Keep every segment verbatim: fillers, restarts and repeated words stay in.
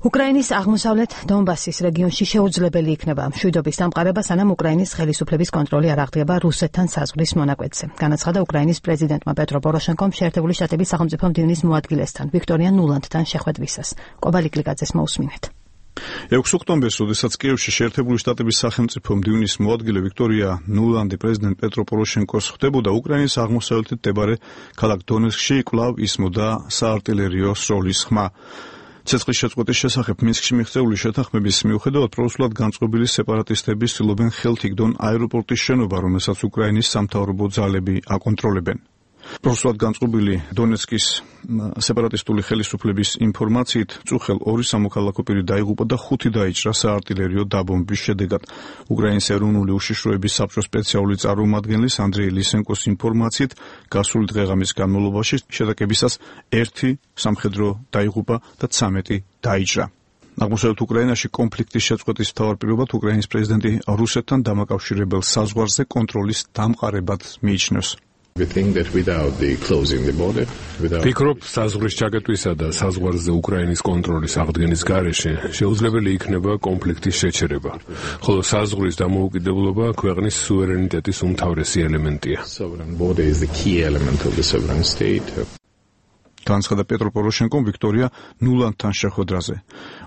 უკრაინის აღმოსავლეთ დონბასის რეგიონში შეუძლებელი იქნება მშვიდობის დამყარება, სანამ უკრაინის ხელისუფლების კონტროლი არ აღდგება რუსეთთან საზღვრის მონაკვეთზე. განაცხადა უკრაინის პრეზიდენტმა პეტრო პოროშენკომ შეერთებული შტატების სახელმწიფო მდივნის მოადგილესთან ვიქტორია ნულანდთან შეხვედრისას. კობალი კლიკაძეს მოусმინეთ. ექვსი ოქტომბერს, როდესაც კიევში შეერთებული შტატების სახელმწიფო მდივნის მოადგილე ვიქტორია ნულანდი პრეზიდენტ პეტრო პოროშენკოს ხვდებოდა, უკრაინის აღმოსავლეთით მდებარე ქალაქ დონეცკში კვლავ ისმოდა საარტილერიო სროლის ხმა. ცეცხლის შეწყვეტის შესახებ მინსკში მიღწეული შეთანხმების მიუხედავად პროსულად განწყობილი სეპარატისტები ცდილობენ ხელთ იგდონ აეროპორტის შენობა, რომელსაც უკრაინის სამთავრობო ძალები აკონტროლებენ. პროსულად განწყობილი დონეცკის სეპარატისტული ხელისუფლების ინფორმაციით, წუხელ ორი სამოქალაქო პირი დაიღუპა და ხუთი დაიჭრა საარტილერიო დაბომბვის შედეგად. უკრაინის ეროვნული უშიშროების საბჭოს სპეციალური წარმომადგენლის ანდრეი ლისენკოს ინფორმაციით, გასული დღეღამის განმავლობაში შეტაკებისას ერთი სამხედრო დაიღუპა და ცამეტი დაიჭრა. აღმოსავლეთ უკრაინაში კონფლიქტის შეწყვეტის მთავარ პირობად უკრაინის პრეზიდენტი რუსეთთან დამაკავშირებელ საზღვარზე კონტროლის დამყარებად მიიჩნევს. ვფიქრობ, საზღვრის ჩაკეტვისა და საზღვარზე უკრაინის კონტროლის აღდგენის გარეშე შეუძლებელი იქნება კონფლიქტის შეჩერება, ხოლო საზღვრის დამოუკიდებლობა ქვეყნის სუვერენიტეტის უმთავრესი ელემენტია. განაცხადა პეტრო პოროშენკომ ვიქტორია ნულანდთან შეხვედრაზე.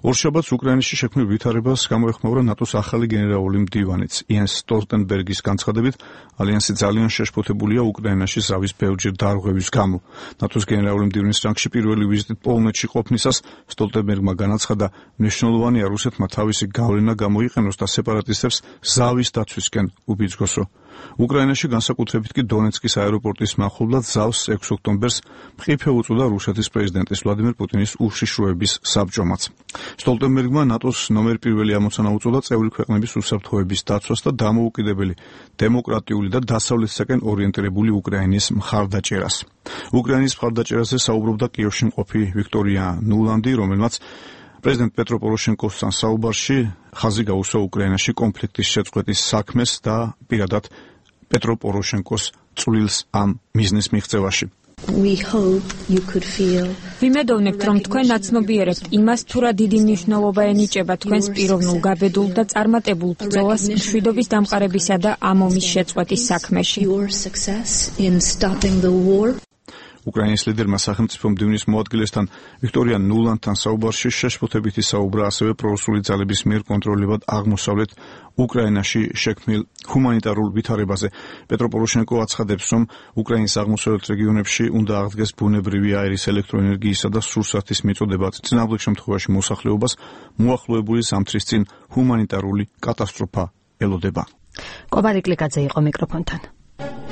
ორშაბათს უკრაინაში შექმნილ ვითარებას გამოეხმაურა ნატოს ახალი გენერალური მდივანიც იენს სტოლტენბერგის განცხადებით, ალიანსი ძალიან შეშფოთებულია უკრაინაში ზავის ბევრჯერ დარღვევის გამო. ნატოს გენერალური მდივნის რანგში პირველი ვიზიტით პოლონეთში ყოფნისას სტოლტენბერგმა განაცხადა, მნიშვნელოვანია რუსეთმა თავისი გავლენა გამოიყენოს და სეპარატისტებს ზავის დაცვისკენ უბიძგოსო. უკრაინაში განსაკუთრებით კი დონეცკის აეროპორტის მახლობლად ზავს ექვსი ოქტომბერს მყიფე უწოდა რუსეთის პრეზიდენტის ვლადიმერ პუტინის უშიშროების საბჭომაც. სტოლტენბერგმა ნატოს ნომერ პირველი ამოცანა უწოდა წევრი ქვეყნების უსაფრთხოების დაცვას და დამოუკიდებელი, დემოკრატიული და დასავლეთისაკენ ორიენტირებული უკრაინის მხარდაჭერას. უკრაინის მხარდაჭერაზე საუბრობდა კიევში მყოფი ვიქტორია ნულანდი, რომელმაც პრეზიდენტ პეტრო პოროშენკოსთან საუბარში ხაზი გაუსვა უკრაინაში კონფლიქტის შეწყვეტის საქმეს და პირადად პეტრო პოროშენკოს წვლილს ამ მიზნის მიღწევაში. ვიმედოვნებთ, რომ თქვენ ნაცნობიერებთ იმას, თუ რა დიდი მნიშვნელობა ენიჭება თქვენს პიროვნულ გაბედულ და წარმატებულ ბრძოლას მშვიდობის დამყარებისა და ამ ომის შეწყვეტის საქმეში. უკრაინის ლიდერმა სახელმწიფო მდივნის მოადგილესთან ვიქტორია ნულანდთან საუბარში შეშფოთებით ისაუბრა ასევე პრორუსული ძალების მიერ კონტროლებად აღმოსავლეთ უკრაინაში შექმნილ ჰუმანიტარულ ვითარებაზე. პეტრო პოროშენკო აცხადებს, რომ უკრაინის აღმოსავლეთ რეგიონებში უნდა აღდგეს ბუნებრივი აირის, ელექტროენერგიისა და სურსათის მიწოდება. წინააღმდეგ შემთხვევაში მოსახლეობას მოახლოებული ზამთრის წინ ჰუმანიტარული კატასტროფა ელოდება. კობალი კლიკაძე იყო მიკროფონთან.